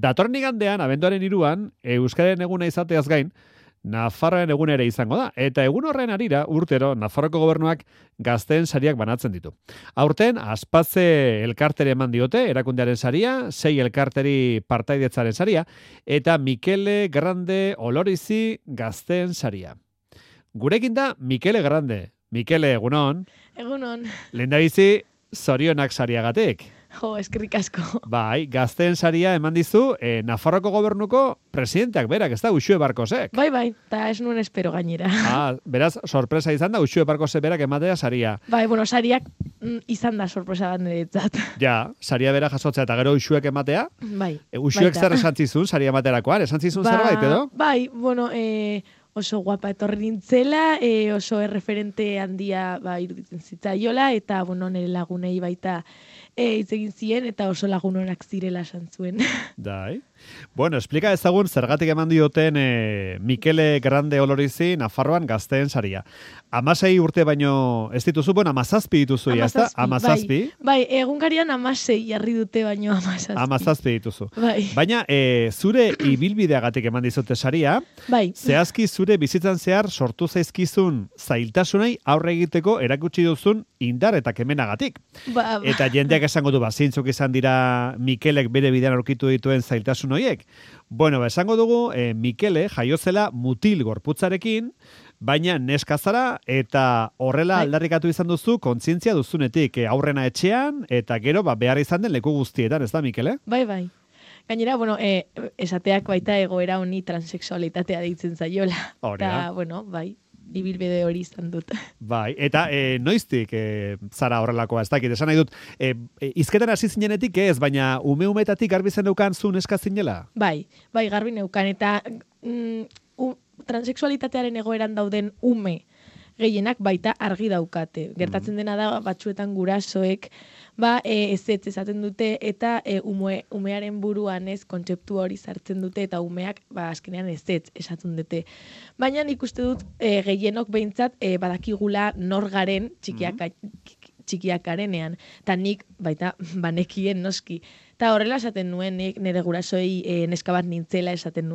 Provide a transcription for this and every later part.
Datorren igandean, abenduaren 3an, Euskararen eguna izateaz gain, Nafarroaren egun ere izango da, eta egun horren arira urtero Nafarroko gobernuak gazteen sariak banatzen ditu. Aurten, Aspatze elkartere eman diote, erakundearen saria, 6 elkarteri partaidetzaren saria, eta Mikele Grande Olorizi gazteen saria. Gurekin da, Mikele Grande. Mikele, egunon. Egunon. Lehendabizi, zorionak sariagatik. Jo, eskerrik asko. Bai, gazteen saria eman dizu Nafarroko gobernuko presidenteak berak, ez da, Uxue Barkosek. Bai, eta ez nuen espero gainera. Beraz, sorpresa izan da, Uxue Barkosek berak ematea saria. Bai, sariak izan da sorpresa bat niretzat. Ja, saria bera jasotzea eta gero Uxuek ematea? Bai. Uxuek zer esan zizun, saria ematerakoan? Esan zizun zerbait, edo? Bai, oso guapa etorri nintzela, oso erreferente handia iruditzen zitzaiola, eta, nire lagunei baita hitz egin zien, eta oso lagunonak zirela esan zuen. Dai. Bueno, explika ezagun zergatik eman dioten Mikele Grande Olorizi Nafarroan gazteen saria. 16 urte baino ez dituzu, 17 dituzu, ya ezta? 17. Bai, egunkarian 16 jarri dute baino 17. 17 dituzu. Bai. Baina zure ibilbideagatik eman dizute saria, bai. Zehazki zure bizitzan zehar sortu zaizkizun zailtasunei aurre egiteko erakutsi duzun indar eta kemenagatik. Eta jendeak esango du, zeintzuk izan dira Mikelek bere bidean aurkitu dituen zailtasun horiek. Bueno, esango dugu, Mikele jaiozela mutil gorputzarekin, baina neska zara eta horrela aldarrikatu izan duzu kontzientzia duzunetik aurrena etxean eta gero behar izan den leku guztietan, ez da, Mikele? Bai. Gainera, esateak baita egoera honi transexualitatea deitzen zaiola. Eta, bai, ibilbide hori izan dut. Bai, eta noiztik zara horrelakoa, ez dakit, esan nahi dut, izketan hasi zinenetik ez, baina ume-umetatik garbi zen neukan zu neska zinela? Bai, garbi neukan, eta transexualitatearen egoeran dauden ume gehienak baita argi daukate. Gertatzen dena da, batzuetan gurasoek, ezetz esaten dute, eta umearen buruan ez kontzeptu hori sartzen dute, eta umeak azkenean ezetz esaten dute. Baina nik uste dut gehienok behintzat badakigula nor garen txikiak garenean, eta nik baita banekien noski. Eta horrela esaten nuen, nire gurasoei neska bat nintzela esaten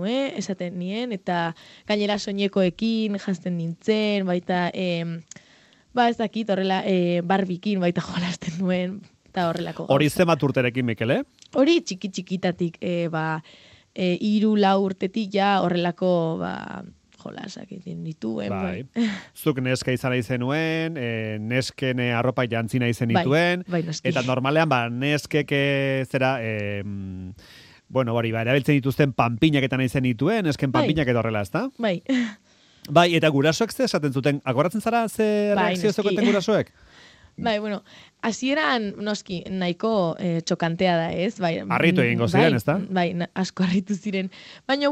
nien, eta gainera soinekoekin jazten nintzen, baita, ez dakit, horrela barbikin baita jolasten nuen, eta horrelako. Hori zemat urterekin, Mikele? Hori txiki-txikitatik, 3-4 urtetik ja horrelako, jolasak egin dituen. Bai. Zuk neska izan nahi zenuen, nesken arropa jantzi nahi zenituen, eta normalean neskek zera, erabiltzen dituzten panpinak eta nahi zenituen, nesken panpinak edo horrela, ezta? Bai. Bai, eta gurasoek ze esaten zuten, akoratzen zara ze reakzio zekoeten gurasoek? Bai, hasieran noski nahiko txokantea da, ez? Harritu egingo ziren, ez da? Bai, asko harritu ziren. Baina,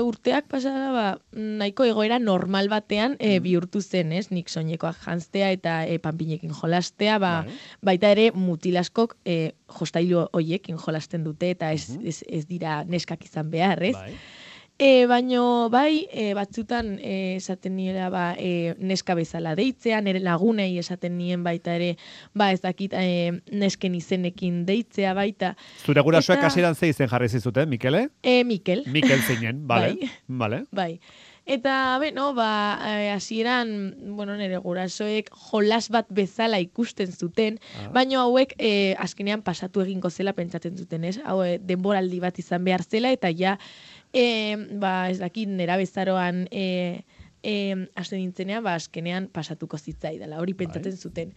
urteak pasada, nahiko egoera normal batean bihurtu zen, ez? Nik soinekoak janztea eta panpinekin jolastea, baita ere mutilaskok jostailu hoiekin jolasten dute, eta ez dira neskak izan behar, ez? Baino, batzutan esaten niela neska bezala deitzea, nire lagunei esaten nien baita ere, ez dakit nesken izenekin deitzea baita. Zure gurasoek hasieran ze izen jarri zizuten, Mikele? Mikel. Mikel zinen, bale. Bai. Eta, hasieran, nire gurasoek jolas bat bezala ikusten zuten, baina hauek azkenean pasatu egingo zela pentsatzen zuten, ez? Hau denboraldi bat izan behar zela, eta ja, ez dakit, nera bezaroan hasten nintzenean, azkenean pasatuko zitzaidala, hori pentsatzen zuten.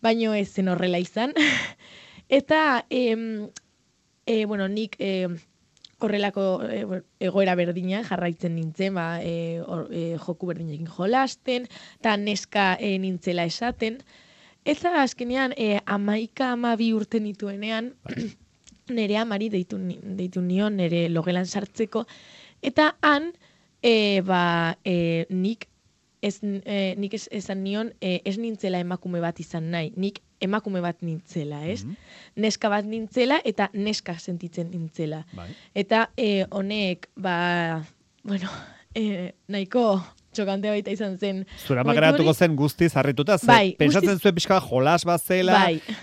Baina ez zen horrela izan. Eta, nik horrelako egoera berdina jarraitzen nintzen, joku berdinekin jolasten, eta neska nintzela esaten. Eta azkenean, 11-12 urte nituenean, nire amari deitu nion, nire logelan sartzeko, eta han, nik esan nion, ez nintzela emakume bat izan nahi, nik emakume bat nintzela, ez? Neska bat nintzela, eta neska sentitzen nintzela. Eta honek, nahiko txokantea baita izan zen. Zura magaratuko zen guztiz harrituta, pentsatzen zuen pixka jolas bat zela,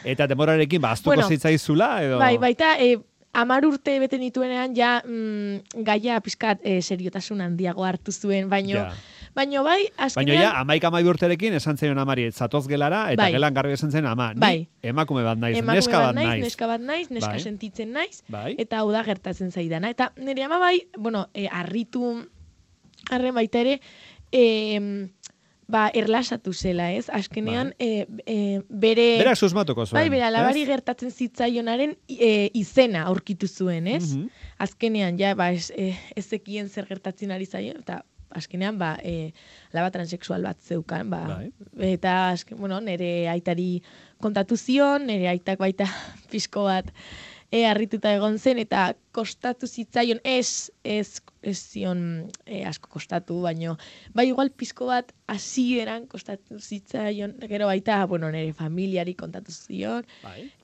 eta demorarekin aztuko zitzaizula, edo? Baita 10 urte bete nituenean, ja gaia pizkat seriotasun handiago hartu zuen, baino bai, azkenean... Baina 11 urterekin esan zaion amari, zatoz gelara, eta gelan garbi esan zen ama, ni emakume bat naiz, neska bat naiz, neska sentitzen naiz, eta hau da gertatzen zaidana. Eta nire ama bai, harritu arren baita ere, erlasatu zela, ez? Azkenean, berak susmatuko zuen. Bai, bere alabari gertatzen zitzaionaren izena aurkitu zuen, ez? Azkenean, ez zekien zer gertatzen ari zaio, eta azkenean, alaba transexual bat zeukan, eta, nire aitari kontatu zion, nire aitak baita pixko bat harrituta egon zen, eta kostatu zitzaion, ez zion asko kostatu, baino, igual pixko bat hasieran kostatu zitzaion, gero baita, nire familiari kontatu zion,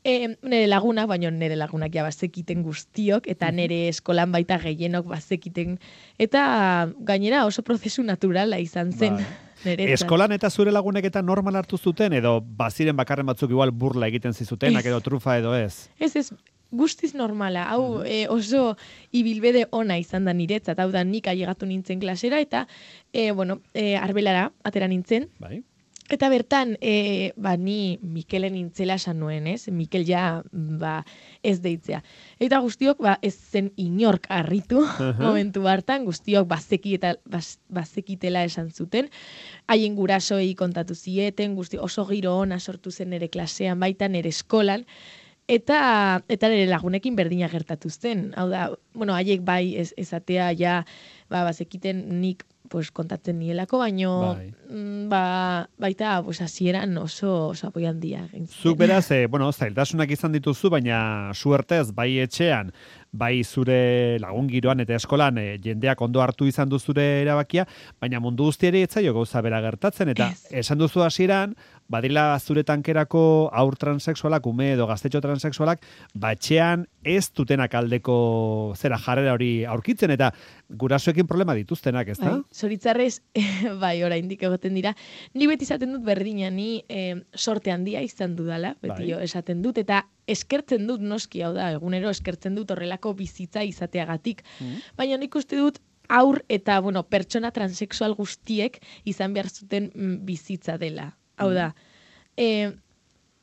nire lagunak, baino nire lagunak ja bazekiten guztiok, eta nire eskolan baita gehienok bazekiten, eta gainera oso prozesu naturala izan zen. Eskolan eta zure lagunek eta normal hartu zuten, edo baziren bakarren batzuk igual burla egiten zizutenak, edo trufa edo ez? Ez, guztiz normala, hau oso ibilbede ona izan da niretzat, hau da nik ailegatu nintzen klasera, eta, arbelara atera nintzen, eta bertan, ni Mikelen nintzela esan nuen, ez? Mikel ja, ez deitzea. Eta guztiok, ez zen inork harritu, momentu hartan, guztiok bazekitela esan zuten, haien gurasoei kontatu zieten, oso giro ona sortu zen nire klasean, baita nire eskolan, eta nire lagunekin berdina gertatu zen. Hau da, haiek bai ezatea ja, bazekiten nik kontatzen nielako, baino baita hasieran oso apoi handia. Zuk beraz, zailtasunak izan dituzu, baina suertez, bai etxean, bai zure lagun giroan eta eskolan jendeak ondo hartu izan du zure erabakia, baina mundu guztiari etzaio gauza bera gertatzen, eta esan duzu hasieran, badila zure tankerako aur transexualak, ume edo gaztetxo transexualak, etxean ez dutenak aldeko jarrera hori aurkitzen, eta gurasoekin problema dituztenak, ez da? Zoritzarrez, oraindik egoten dira. Ni beti esaten dut berdina, ni sorte handia izan dudala, beti esaten dut, eta eskertzen dut noski, hau da, egunero eskertzen dut horrelako bizitza izateagatik. Baina nik uste dut aur eta, pertsona transexual guztiek izan behar zuten bizitza dela. Hau da,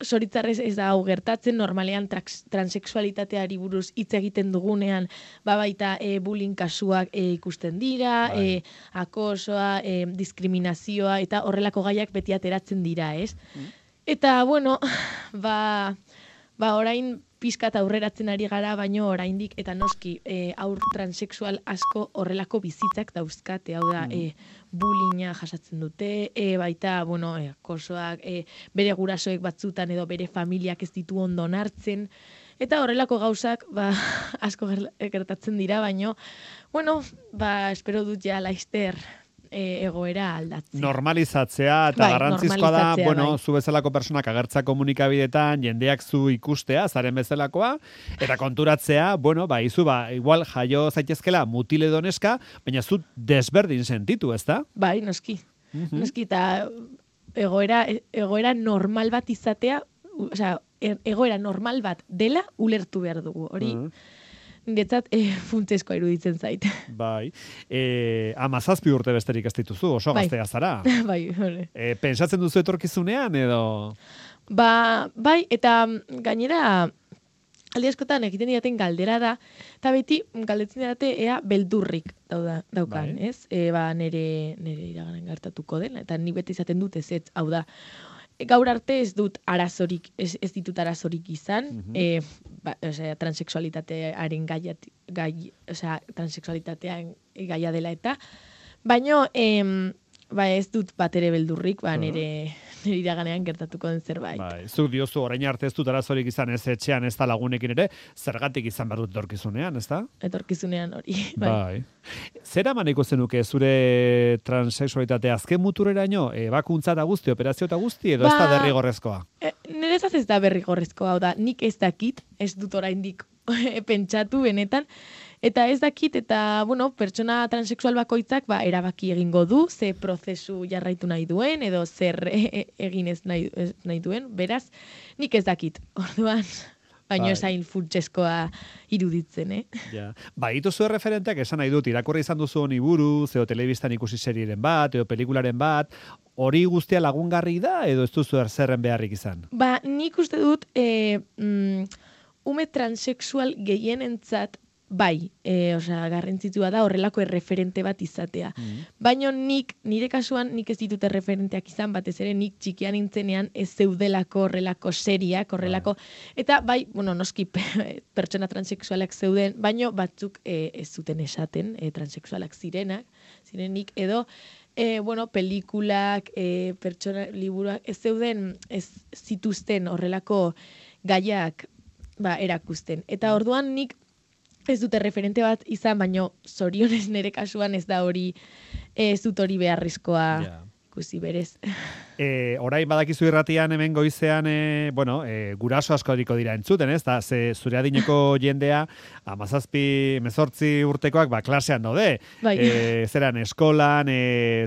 zoritzarrez ez da hau gertatzen, normalean transexualitateari buruz hitz egiten dugunean, baita bullying kasuak ikusten dira, akosoa, diskriminazioa, eta horrelako gaiak beti ateratzen dira, ez? Eta, orain pizkat aurreratzen ari gara, baino oraindik eta noski aur transexual asko horrelako bizitzak dauzkate, hau da, bullyinga jasatzen dute, baita, akosoak, bere gurasoek batzutan edo bere familiak ez ditu ondo hartzen, eta horrelako gauzak, asko gertatzen dira, baino, espero dut ja laizter egoera aldatzea. Normalizatzea, eta garrantzizkoa da, zu bezalako personak agertza komunikabidetan, jendeak zu ikustea, zaren bezalakoa, eta konturatzea, igual jaio zaitezkela mutile doneska, baina zu desberdin sentitu, ez da? Bai, noski. Noski, eta egoera normal bat izatea, egoera normal bat dela ulertu behar dugu, hori... Niretzat, funtsezkoa iruditzen zait. Bai. 17 urte besterik ez dituzu, oso gaztea zara. Bai, hori. Pentsatzen duzu etorkizunean, edo? Bai, eta gainera, aldi askotan egiten didaten galdera da, eta beti galdetzen didate ea beldurrik daukan, ez? Nire iraganen gertatuko den, eta ni beti izaten dut ez, hau da, gaur arte ez ditut arazorik izan, transexualitatearen transexualitatean gaia dela eta, baino ez dut bat ere beldurrik, nire iraganean gertatuko den zerbait. Zuk diozu, orain arte ez dut arazorik izan ez etxean, ez da lagunekin ere, zergatik izan behar dut etorkizunean, ez da? Etorkizunean hori, bai. Zera maneko zenuke zure transexualitatea azken mutureraino, ebakuntza da guzti, operazio eta guzti, edo ez da derrigorrezkoa? Niretzat ez da derrigorrezkoa, hau da, nik ez dakit, ez dut oraindik pentsatu benetan, eta ez dakit, eta, pertsona transexual bakoitzak, erabaki egingo du, ze prozesu jarraitu nahi duen, edo zer egin ez nahi duen, beraz, nik ez dakit, orduan, baina esain funtseskoa iruditzen, Ja. Ba, ituzu referenteak esan nahi dut, irakurri izan duzu honi buruz, edo telebistan ikusi serieren bat, edo pelikularen bat, hori guztia lagungarri da, edo ez duzu erzerren beharrik izan? Ba, nik uste dut, ume transexual gehienentzat, bai, garrantzitua da horrelako erreferente bat izatea. Baina nire kasuan, nik ez ditut erreferenteak izan, batez ere nik txikian nintzenean ez zeudelako horrelako seriak, horrelako, eta bai, noski pertsona transexualak zeuden, baina batzuk ez zuten esaten, transexualak zirenik, edo, pelikulak, pertsona liburuak, ez zeuden, ez zituzten horrelako gaiak erakusten. Eta orduan nik ez dute referente bat izan, baino zorionez nire kasuan ez da hori, ez dut hori beharrezkoa ikusi berez. Orain badakizu irratian hemen goizean, guraso asko dira entzuten, ez? Da, zure adineko jendea, 17-18 urtekoak, klasean daude. Zeran eskolan,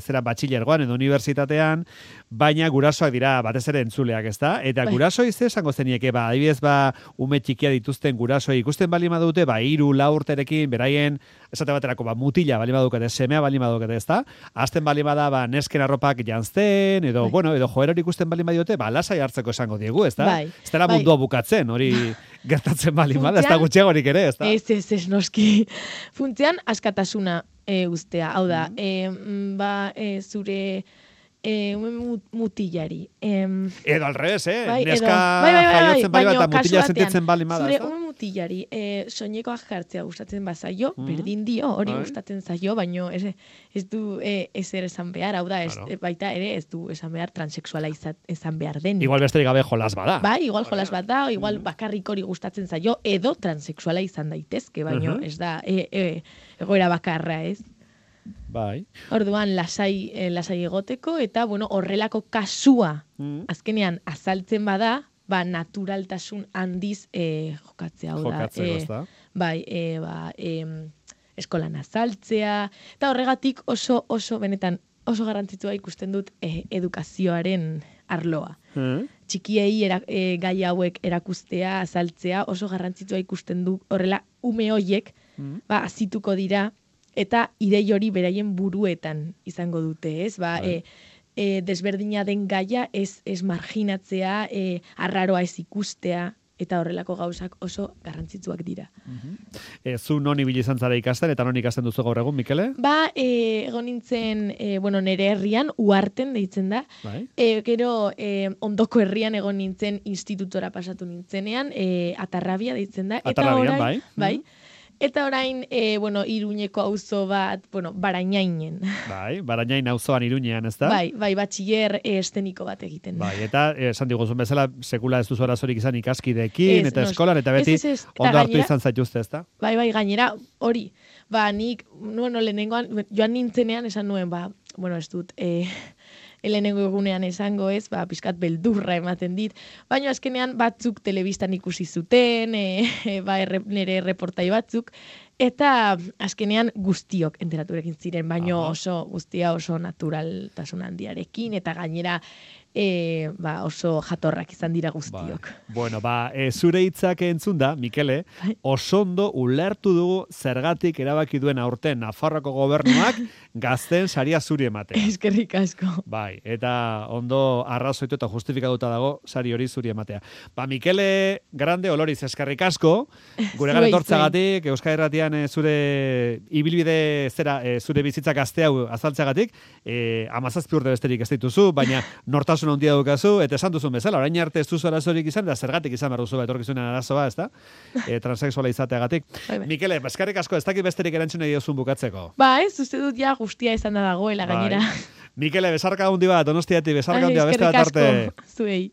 zeran batxilergoan edo unibertsitatean, baina gurasoak dira batez ere entzuleak, ez da? Eta gurasoi ze esango zenieke, adibidez, ume txikia dituzten gurasoi ikusten bali madute, 3-4 urterekin, beraien, esate baterako, mutila bali madukete, semea bali madukete, ez da? Azten bali bada, nesken arropak jantzten, edo joera hori ikusten bali madiote, lasai hartzeko esango diegu, ez da? Ez dela mundua bukatzen, hori gertatzen bali bada, ez da gutxiagorik ere, ez da? Ez, noski. Funtzean, askatasuna ustea, hau da, zure mutilari. Edo al revés, neska jaiotzen bali bat, mutila sentitzen bali bada. Zure mutilari, soinekoak jartzea gustatzen bazaio, berdin dio, hori gustatzen zaio, baino ez du ezer esan behar, hau da, baita ere ez du esan behar transexuala esan behar den. Igual besterik gabe jolas bada. Bai, igual jolas bat da, igual bakarrik hori gustatzen zaio, edo transexuala izan daitezke, baino ez da egoera bakarra, ez? Bai. Orduan lasai egoteko eta horrelako kasua azkenean azaltzen bada, naturaltasun handiz jokatzea, hau da. Jokatzeko, bai, eskolan azaltzea, eta horregatik oso benetan oso garrantzitsua ikusten dut edukazioaren arloa. Txikiei gai hauek erakustea, azaltzea, oso garrantzitsua ikusten du horrela ume hoiek azituko dira, eta idei hori beraien buruetan izango dute, ez? Desberdina den gaia ez marginatzea, arraroa ez ikustea, eta horrelako gauzak oso garrantzitsuak dira. Zu non ibili izan zara ikasten, eta non ikasten duzu gaur egun, Mikele? Egon nintzen, nire herrian, Uharten deitzen da. Gero, ondoko herrian egon nintzen, institutora pasatu nintzenean, Atarrabia deitzen da. Atarrabian, bai. Eta orain, Iruñeko auzo bat, Barainainen. Bai, Barainain auzoan Iruñean, ez da? Bai, batxiller esteniko bat egiten. Bai, eta esan diguzun bezala, sekula ez duzu arazorik izan ikaskideekin, eta eskolan, eta beti ondo hartu izan zaituzte, ez da? Bai, gainera, hori. Nik, lehenengoan, joan nintzenean esan nuen, ez dut, lehenengo egunean esango ez, pixkat beldurra ematen dit, baina azkenean batzuk telebistan ikusi zuten, nire reportai batzuk, eta azkenean guztiok enteraturekin ziren, baina guztia oso naturaltasun handiarekin, eta gainera oso jatorrak izan dira guztiok. Bueno, zure hitzak entzun da, Mikele, osondo ulertu dugu zergatik erabaki duen aurten Nafarroako gobernuak gazten saria zuri ematea. Eskerrik asko. Bai, eta ondo arrazoitu eta justifikatuta dago sari hori zuri ematea. Mikele Grande Oloriz, eskerrik asko, gure gara etortzagatik, Euskal Herratian zure ibilbide zure bizitza gazte hau azaltzeagatik, 17 urte besterik ez dituzu, baina nortasun handia daukazu, eta esan duzun bezala, orain arte ez duzu arazorik izan, da zergatik izan behar duzu etorkizunen arazoa, ez da? Transexuala izateagatik. Mikele, eskerrik asko, ez dakit besterik erantzun diozun bukatzeko. Uste dut ja guztia izan da dagoela gainera. Mikele, besarka handi bat, Donostiatik, besarka handia beste bat arte. Eskerrik asko, zuei.